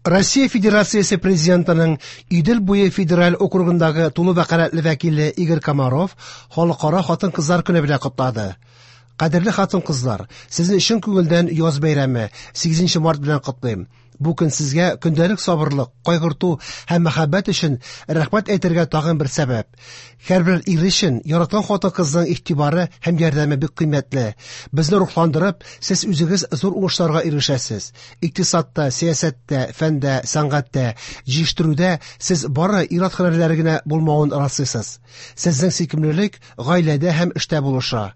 Россия Федерациясе Президентының Идел буе федераль округындагы тулы вәкаләтле вәкиле Игорь Комаров Халыкара хатын-кызлар көне белән котлады. Кадерле хатын-кызлар, сезне чын күңелдән яз бәйрәме, 8 март белән котлыйм. Бу көн сезгә көндәлек сабырлык, кайгырту һәм мәхәббәт өчен рәхмәт әйтергә тагын бер сәбәп. Һәрбер ир өчен яраткан хатын-кызның игътибары һәм ярдәме бик кыйммәтле. Безне рухландырып, сез үзегез зур уңышларга ирешәсез. Икътисадта, сәясәттә, фәндә, сәнгатьтә, җитештерүдә сез бары ир-ат һөнәрләре генә булмавын раслыйсыз. Сезнең сөйкемлелек гаиләдә һәм эштә булыша.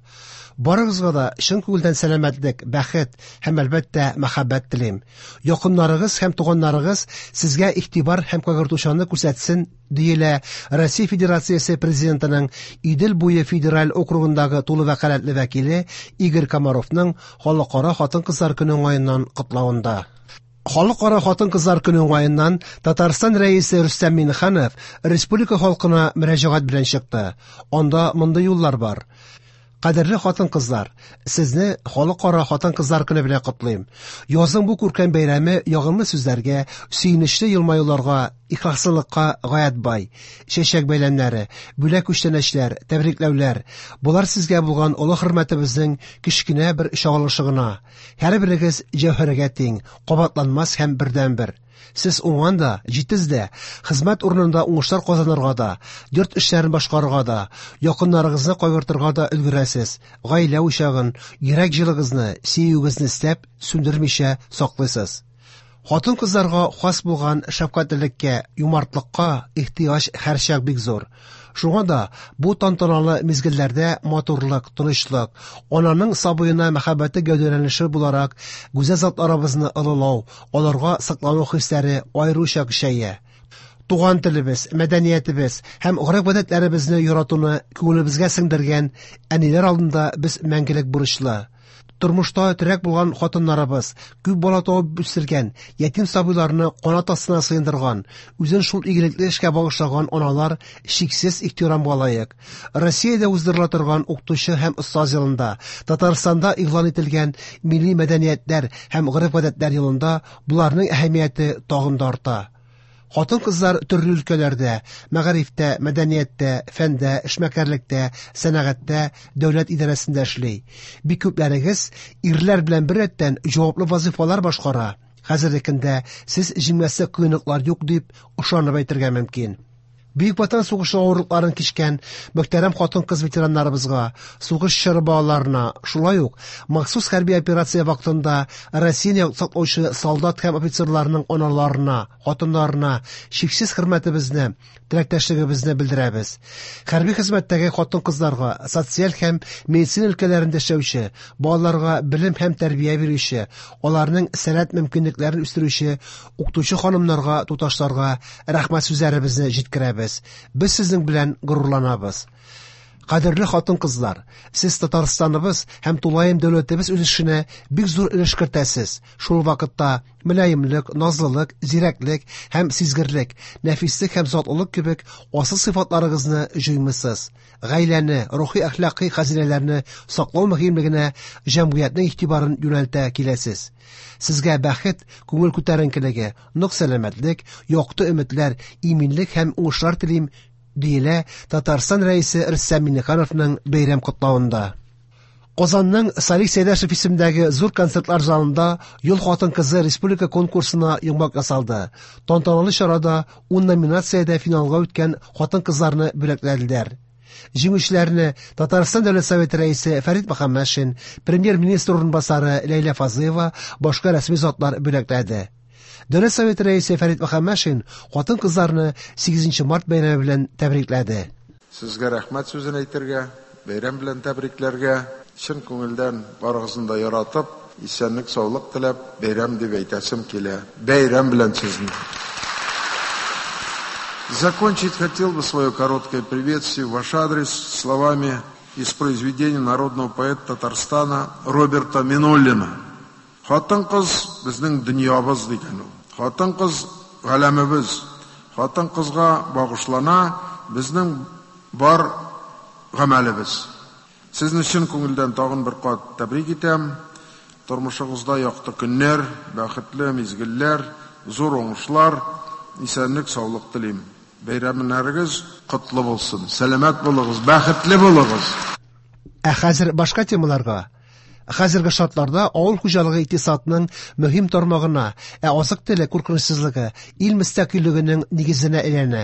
Барыгызга да чын күңелдән сәламәтлек, бәхет һәм, әлбәттә, мәхәббәт телим. Якыннарыгыз һәм туганнарыгыз сезгә игътибар һәм кайгыртучанлык күрсәтсен, диелә Россия Федерациясе Президентының Идел буе федераль округындагы тулы вәкаләтле вәкиле Игорь Комаровның Халыкара хатын-кызлар көне уңаеннан котлавында. Халыкара хатын-кызлар көне уңаеннан Татарстан Рәисе Рөстәм Миңнеханов республика халкына мөрәҗәгать белән чыкты. Анда мондый юллар бар. Кадерле хатын-кызлар, сезне Халыкара хатын-кызлар көне белән котлыйм. Язның бу күркәм бәйрәме ягымлы сүзләргә, сөенечле елмаюларга, ихласлылыкка гаять бай. Чәчәк бәйләмнәре, бүләк-күчтәнәчләр, тәбрикләүләр – болар сезгә булган олы хөрмәтебезнең кечкенә бер чагылышы гына. Һәрберегез җәүһәргә тиң, кабатланмас һәм бердәнбер. Сез уңган да, җитез дә, хезмәт урынында уңышлар казанырга да, йорт эшләрен башкарырга да, якыннарыгызны кайгыртырга да өлгерәсез, гаилә учагын, йөрәк җылыгызны, сөюегезне эстәп, сүндермичә саклыйсыз. Хатын-кызларга хас булган шәфкатьлелеккә, юмартлыкка ихтыяҗ һәрчак бик зур. Шуңа да бу тантаналы мизгелләрдә матурлык, тынычлык, ананың сабыена мәхәббәте гәүдәләнеше буларак гүзәл затларыбызны олылау, аларга соклану хисләре аеруча көчәя. Туган телебез, мәдәниятебез һәм гореф-гадәтләребезне яратуны күңелебезгә сеңдергән әниләр алдында без мәңгелек бурычлы. Тормышта терәк булган хатыннарыбыз, күп бала табып үстергән, ятим сабыйларны канат астына сыендырган, үзен шул игелекле эшкә багышлаган аналар чиксез ихтирамга лаек. Россиядә уздырыла торган Укытучы һәм остаз елында, Татарстанда игълан ителгән Милли мәдәниятләр һәм гореф-гадәтләр елында боларның әһәмияте тагын да арта. Хатын-кызлар төрле өлкәләрдә, мәгарифтә, мәдәнияттә, фәндә, эшмәкәрлектә, сәнәгатьтә, дәүләт идарәсендә эшли. Бик күпләрегез ирләр белән беррәттән җаваплы вазыйфалар башкара. Хәзерге көндә сез җиңмәслек кыенлыклар юк дип ышанып әйтергә мөмкин. Бөек Ватан сугышы авырлыкларын кичкән мөхтәрәм хатын-кыз ветераннарыбызга, сугыш чоры балаларына, шулай ук махсус хәрби операция вакытында Россияне саклаучы солдат һәм офицерларның аналарына, хатыннарына чиксез хөрмәтебезне, теләктәшлегебезне белдерәбез. Хәрби хезмәттәге хатын-кызларга, социаль һәм медицина өлкәләрендә эшләүче, балаларга белем һәм тәрбия бирүче, аларның сәләт мөмкинлекләрен үстерүче укытучы ханымнарга, туташларга рәхмәт сүзләребезне җиткерәбез. Без сезнең белән горурланабыз. Кадерле хатын-кызлар, сез Татарстаныбыз һәм тулаем дәүләтебез үсешенә бик зур өлеш кертәсез. Шул вакытта мөлаемлык, назлылык, зирәклек һәм сизгерлек, нәфислек һәм затлылык кебек асыл сыйфатларыгызны җуймыйсыз. Гаиләне, рухи-әхлакый хәзинәләрне саклау мөһимлегенә җәмгыятьнең игътибарын юнәлтә киләсез. Сезгә бәхет, күңел күтәренкелеге, нык сәламәтлек, якты өметләр, иминлек һәм уңышлар телим, диелә Татарстан Рәисе Рөстәм Миңнехановның бәйрәм котлавында. Казанның Салих Сәйдәшев исемендәге зур концертлар залында Ел хатын-кызы республика конкурсына йомгак ясалды. Тантаналы чарада 10 номинациядә финалга үткән хатын-кызларны бүләкләделәр. Җиңүчеләрне Татарстан Дәүләт Советы Рәисе Фәрит Мөхәммәтшин, Премьер-министр урынбасары Ләйлә Фазлыева, башка рәсми затлар бүләкләде. Дәүләт Советы Рәисе Фәрит Мөхәммәтшин хатын-кызларны 8 март бәйрәме белән тәбрикләде. Сезгә рәхмәт сүзен әйтергә, бәйрәм белән тәбрикләргә, чын күңелдән барыгызны да яратып, исәнлек, саулык теләп, бәйрәм дип әйтәсем килә. Бәйрәм белән сезне! Закончить хотел бы свое короткое приветствие в ваш адрес словами из произведения народного поэта Татарстана Роберта Минуллина. Хатын-кыз безнең дөньябыз дигән ул. Хатын-кыз галәмебез. Хатын-кызга багышлана безнең бар гамәлебез. Сезне чын күңелдән тагын бер кат тәбрик итәм. Тормышыгызда якты көннәр, бәхетле мизгелләр, зур уңышлар, исәнлек-саулык телим. Бәйрәмнәрегез котлы булсын. Сәламәт булыгыз, бәхетле булыгыз. Ә хәзер башка темаларга. Хәзерге шартларда авыл хуҗалыгы икътисадның мөһим тармагына, ә азык-төлек куркынычсызлыгы ил мөстәкыйльлегенең нигезенә әйләнә.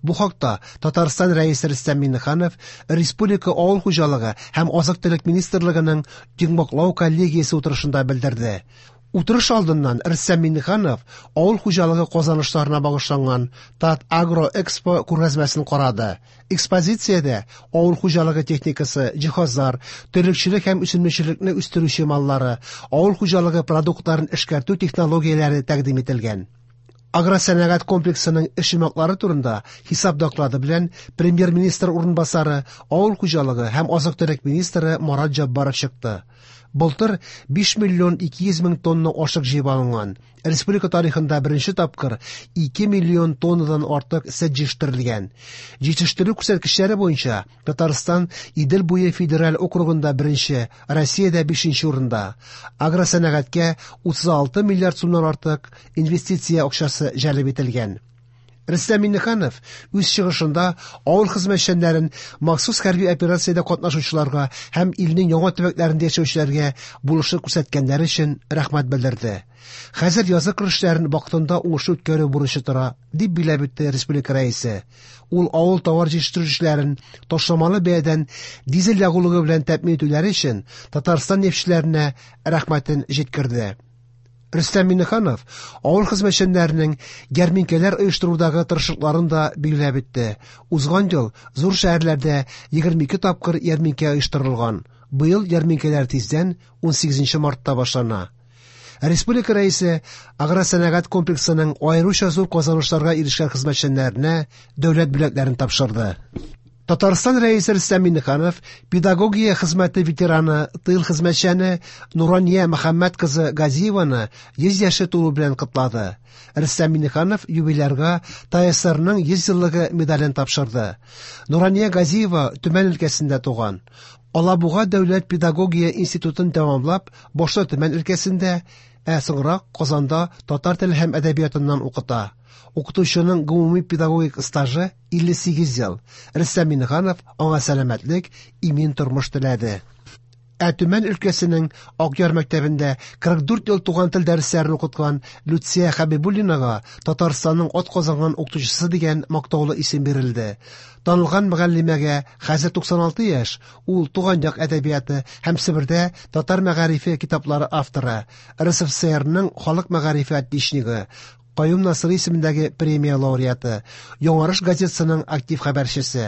Бу хакта Татарстан Рәисе Рөстәм Миңнеханов Республика авыл хуҗалыгы һәм азык-төлек министрлыгының йомгаклау коллегиясе утырышында белдерде. Утырыш алдыннан Рөстәм Миңнеханов авыл хуҗалыгы казанышларына багышланган Татагроэкспо күргәзмәсен карады. Экспозициядә авыл хуҗалыгы техникасы, җиһазлар, терлекчелек һәм үсемлекчелекне үстерүче маллары, авыл хуҗалыгы продуктларын эшкәртү технологияләре тәкъдим ителгән. Агросәнәгать комплексының эш йомгаклары турында хисап доклады белән премьер-министр урынбасары, авыл хуҗалыгы һәм азык-төлек министры Марат Җаббаров чыкты. Былтыр 5 миллион 200 мең тонна ашык җыеп алынган. Республика тарихында беренче тапкыр 2 миллион тоннадан артык сөт җитештерелгән. Җитештерү күрсәткечләре буенча Татарстан Идел буе федераль округында беренче, Россиядә бишенче урында. Агросәнәгатькә 36 миллиард сумнан артык инвестиция акчасы җәлеп ителгән. Рөстәм Миңнеханов үз чыгышында авыл хезмәтчәннәрен махсус хәрби операциядә катнашучыларга һәм илнең яңа төбәкләрендә яшәүчеләргә булышлык күрсәткәннәре өчен рәхмәт белдерде. Хәзер язгы кыр эшләрен вакытында уңышлы үткәрү бурычы тора, дип билгеләп үтте республика Рәисе. Ул авыл товар җитештерүчеләрен ташламалы бәядән дизель ягулыгы белән тәэмин итүләре өчен Татарстан нефтьчеләренә рәхмәтен җиткерде. Рөстәм Миңнеханов авыл хезмәтчәннәренең ярминкәләр оештырудагы тырышлыкларын да билгеләп үтте. Узган ел зур шәһәрләрдә 22 тапкыр ярминкә оештырылган. Быел ярминкәләр тиздән 18 мартта башлана. Республика Рәисе агросәнәгать комплексының аеруча зур казанышларга ирешкән хезмәтчәннәренә дәүләт бүләкләрен тапшырды. Татарстан Рәисе Рөстәм Миңнеханов педагогия хезмәте ветераны, тыл хезмәтчәне Нурания Мөхәммәт кызы Газиеваны 100 яше тулу белән котлады. Рөстәм Миңнеханов юбилярга ТАССРның 100 еллыгы медален тапшырды. Нурания Газиева Төмән өлкәсендә туган. Алабуга дәүләт педагогия институтын тәмамлап, башта Төмән өлкәсендә, ә соңрак Казанда татар теле һәм әдәбиятыннан укыта. Укытучының гомуми педагогик стажы 58 ел. Рөстәм Миңнеханов аңа сәламәтлек, имин тормыш теләде. Ә Төмән өлкәсенең Акъяр мәктәбендә 44 ел туган тел дәресләрен укыткан Люция Хәбибуллинага Татарстанның атказанган укытучысы дигән мактаулы исем бирелде. Танылган мөгаллимәгә хәзер 96 яшь, ул туган як әдәбияты һәм Себердә татар мәгарифе китаплары авторы, РСФСРның халык мәгарифе отличнигы, Каюм Насыйри исемендәге премия лауреаты, Яңарыш газетасының актив хәбәрчесе.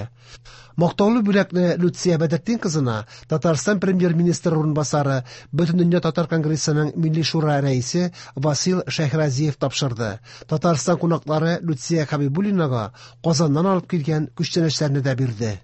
Мактаулы бүләкне Люция Бәдертдин кызына Татарстан премьер-министры урынбасары, Бөтендөнья татар конгрессының Милли шура рәисе Васил Шәйхразиев тапшырды. Татарстан кунаклары Люция Хәбибуллинага Казаннан алып килгән күчтәнәчләрне дә бирде.